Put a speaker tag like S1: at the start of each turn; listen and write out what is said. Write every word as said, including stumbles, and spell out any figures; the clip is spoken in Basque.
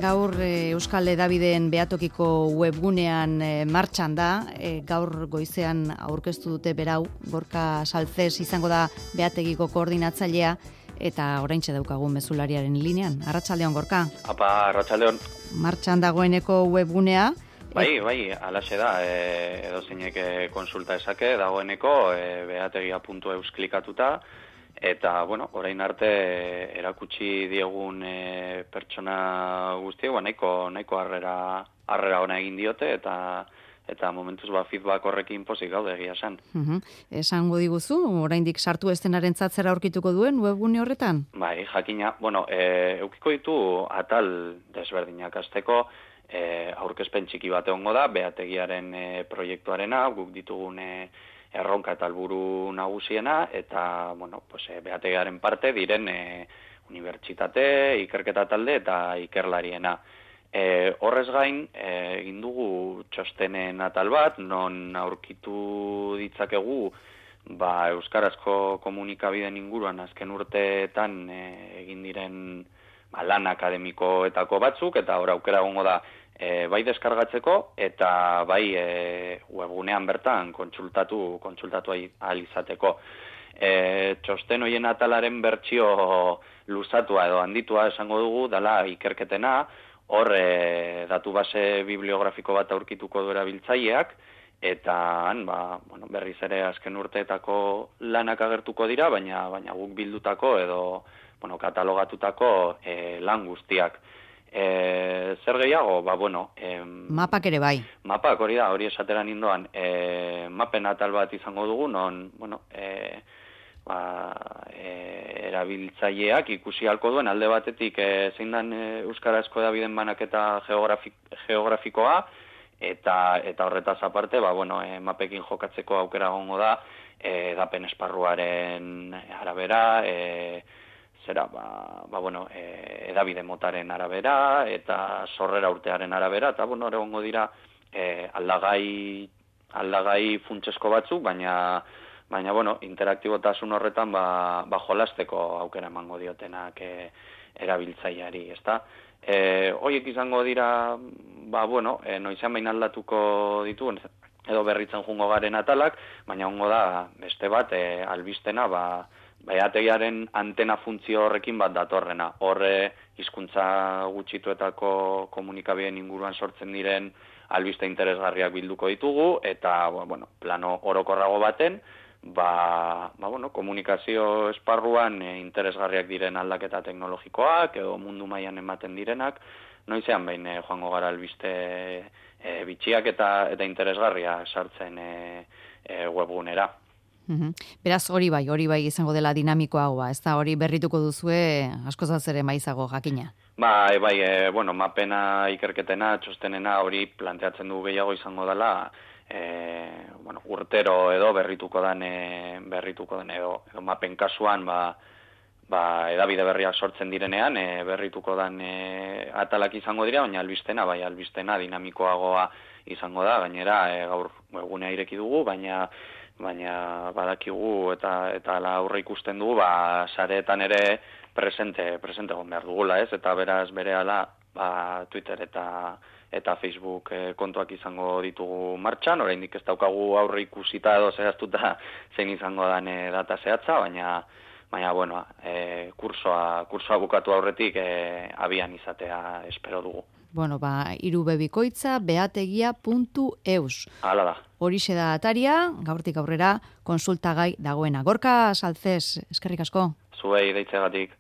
S1: gaur e, Euskal Hedabideen Behatokiko webgunean e, martxan da, e, gaur goizean aurkeztu dute berau, Gorka Saltzes izango da Behategiko koordinatzailea, eta oraintxe daukagu mezulariaren linean. Arratsaldeon, Gorka.
S2: Apa, arratsaldeon.
S1: Martxan dagoeneko webgunea.
S2: Bai, bai, alaxe da, e, edo zeinek konsulta esake, dagoeneko e, behategia puntu eus klikatuta, eta, bueno, orain arte erakutsi diegun e, pertsona guztiak, ba, nahiko, nahiko harrera, harrera ona egin diote, eta eta momentuz ba, feedback horrekin pozik gaude egia esan.
S1: Uh-huh. Esango diguzu, oraindik sartu estenaren zatzera aurkituko duen webgune horretan?
S2: Bai, jakina, bueno, e, eukiko ditu atal desberdinak azteko, E, aurkezpen txiki bat egongo da, behategiaren e, proiektuarena, guk ditugun e, erronka eta helburu nagusiena, eta, bueno, pues, e, behategiaren parte diren e, unibertsitate, ikerketa talde eta ikerlariena. E, horrez gain, e, egin dugu txostenen atal bat, non aurkitu ditzakegu, ba, euskarazko komunikabideen inguruan azken urteetan e, egin diren ba, lan akademikoetako batzuk, eta hor aukera egongo da, E, bai deskargatzeko eta bai e, webgunean bertan kontsultatu kontsultatu ahal izateko. E, txosten hoien atalaren bertsio luzatua edo handitua esango dugu dala ikerketena, hor e, datu base bibliografiko bat aurkituko du erabiltzaileak, eta han, ba, bueno, berriz ere azken urteetako lanak agertuko dira, baina baina guk bildutako edo bueno, katalogatutako e, lan guztiak. E, zer gehiago? Ba, bueno... Em,
S1: mapak ere bai.
S2: Mapak, hori da, hori esateran indoan. E, mapen atal bat izango dugu, non, bueno, e, ba, e, erabiltzaileak ikusi halko duen alde batetik e, zein dan e, euskarazko hedabideen banaketa geografik, geografikoa, eta eta horretaz aparte, ba, bueno, e, mapekin jokatzeko aukera egongo da, e, edapen esparruaren arabera, e, zera, ba, ba bueno, e, edabide motaren arabera, eta sorrera urtearen arabera, eta, bueno, egongo dira e, aldagai, aldagai funtsesko batzuk, baina, baina, bueno, interaktibotasun horretan, ba, ba jolasteko aukera emango diotenak e, erabiltzaileari, ezta? E, hoiek izango dira, ba, bueno, e, noizean bain aldatuko dituen, edo berritzen jungo garen atalak, baina hongo da, beste bat, e, albistena, ba, behategiaren antena funtzio horrekin bat datorrena. Horre hizkuntza gutxituetako komunikabideen inguruan sortzen diren albiste interesgarriak bilduko ditugu, eta bueno, plano orokorrago baten, ba, ba, bueno, komunikazio esparruan e, interesgarriak diren aldaketa teknologikoak, edo mundu mailan ematen direnak, noizean behin e, joango gara albiste e, bitxiak eta, eta interesgarria sartzen e, e, webgunera.
S1: Uhum. Beraz, hori bai, hori bai izango dela dinamikoagoa, ez da hori berrituko duzue askozaz ere maizago jakina.
S2: Bai, bai, e, bueno, mapena ikerketena, txostenena hori planteatzen du gehiago izango dela, e, bueno, urtero edo berrituko den, e, berrituko den edo, edo mapen kasuan, ba, ba, edabide berriak sortzen direnean, e, berrituko den e, atalak izango dira, baina albistena, bai, albistena dinamikoagoa izango da, gainera e, gaur egunea ireki dugu, baina baina badakigu eta eta ala aurre ikusten dugu, ba, sareetan ere presente, presente egon behar dugula, ez? Eta beraz berehala, ba, Twitter eta eta Facebook e, kontuak izango ditugu martxan, oraindik ez daukagu aurre ikusita edo zehaztuta zein izango den e, data zehatza, baina baina bueno, e, kursoa kursoa bukatu aurretik e, abian izatea espero dugu.
S1: Bueno, ba, irubebikoitza behategia puntu eus.
S2: Hala da.
S1: Horixe da ataria, gaurtik aurrera konsultagai dagoena. Gorka Saltzes, eskerrik asko.
S2: Zuei deitzegatik.